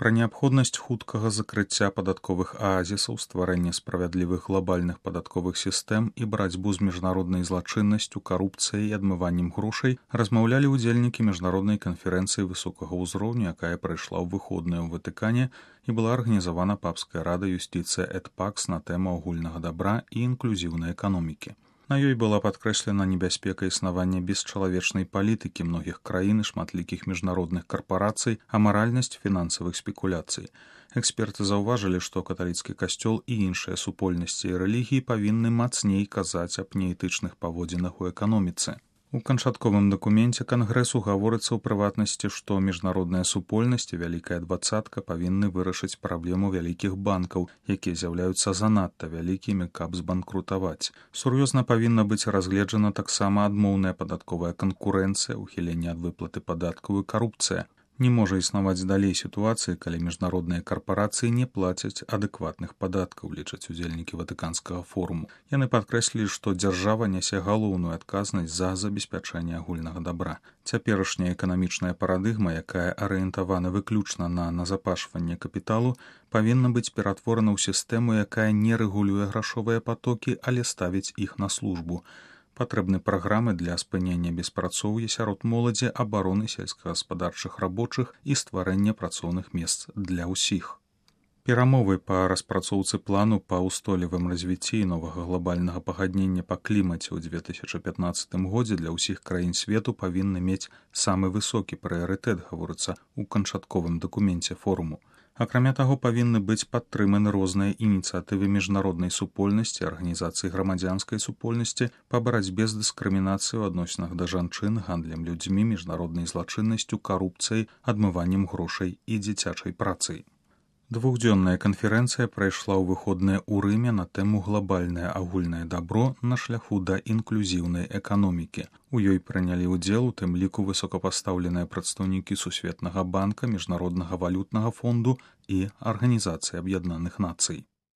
Пра неабходнасць хуткага закрыцця падатковых аазісаў, стварэння справядлівых глабальных падатковых сістэм і барацьбу з міжнароднай злачыннасцю, карупцыяй і адмываннем грошай размаўлялі ўдзельнікі міжнароднай канферэнцыі высокага ўзроўню, якая прайшла ў выходныя ў Ватыкане і была арганізавана папскай радай юстыцыя эт пакс на тэму агульнага дабра і інклюзіўнай эканомікі. На ёй была падкрэслена небяспека існавання бесчалавечнай палітыкі многіх краін і шматлікіх міжнародных карпарацый, амаральнасць фінансавых спекуляцый. Эксперты заўважылі, што каталіцкі касцёл і іншыя супольнасці і рэлігіі павінны мацней казаць аб неэтычных паводзінах у эканоміцы. У канчатковым дакуменце кангрэсу гаворыцца ў прыватнасці, што міжнародная супольнасць і вялікая дваццатка павінны вырашыць праблему вялікіх банкаў, якія з'яўляюцца занадта вялікімі, каб збанкрутаваць. Сур'ёзна павінна быць разгледжана таксама адмоўная падатковая канкурэнцыя, ухіленне ад выплаты падаткаў і карупцыя. Не можа існаваць далей сітуацыі, калі міжнародныя карпарацыі не плацяць адэкватных падаткаў, лічаць удзельнікі Ватыканскага форуму. Яны падкрэслілі, што дзяржава нясе галоўную адказнасць за забеспячэнне агульнага дабра. Цяперашняя эканамічная парадыгма, якая арыентавана выключна на назапашванне капіталу, павінна быць ператворана ў сістэму, якая не рэгулюе грашовыя патокі, але ставіць іх на службу. Патрэбны праграмы для спынення беспрацоўя сярод моладзі, абароны сельскагаспадарчых рабочых і стварэння працоўных месц для ўсіх. Перамовы па распрацоўцы плану па ўстойлівым развіцці новага глобальнага пагаднення па клімаце ў 2015 годзе для ўсіх краін свету павінны мець самы высокі прыярытэт, гаворыцца ў канчатковым дакуменце форуму. Акрамя таго, павінны быць падтрыманы розныя ініцыятывы міжнароднай супольнасці, арганізацыі грамадзянскай супольнасці па барацьбе з дыскрымінацыяй у адносінах да жанчын, гандлем людзьмі, міжнароднай злачыннасцю, карупцыяй, адмываннем грошай і дзіцячай працай. Двухдзённая канферэнцыя прайшла ў выходныя ў Рыме на тэму глобальнае агульнае дабро на шляху да інклюзіўнай эканомікі. У ёй прынялі ўдзел у тым ліку высокапастаўленыя прадстаўнікі Сусветнага банка, Міжнароднага валютнага фонду і Арганізацыі Аб'яднаных Нацый.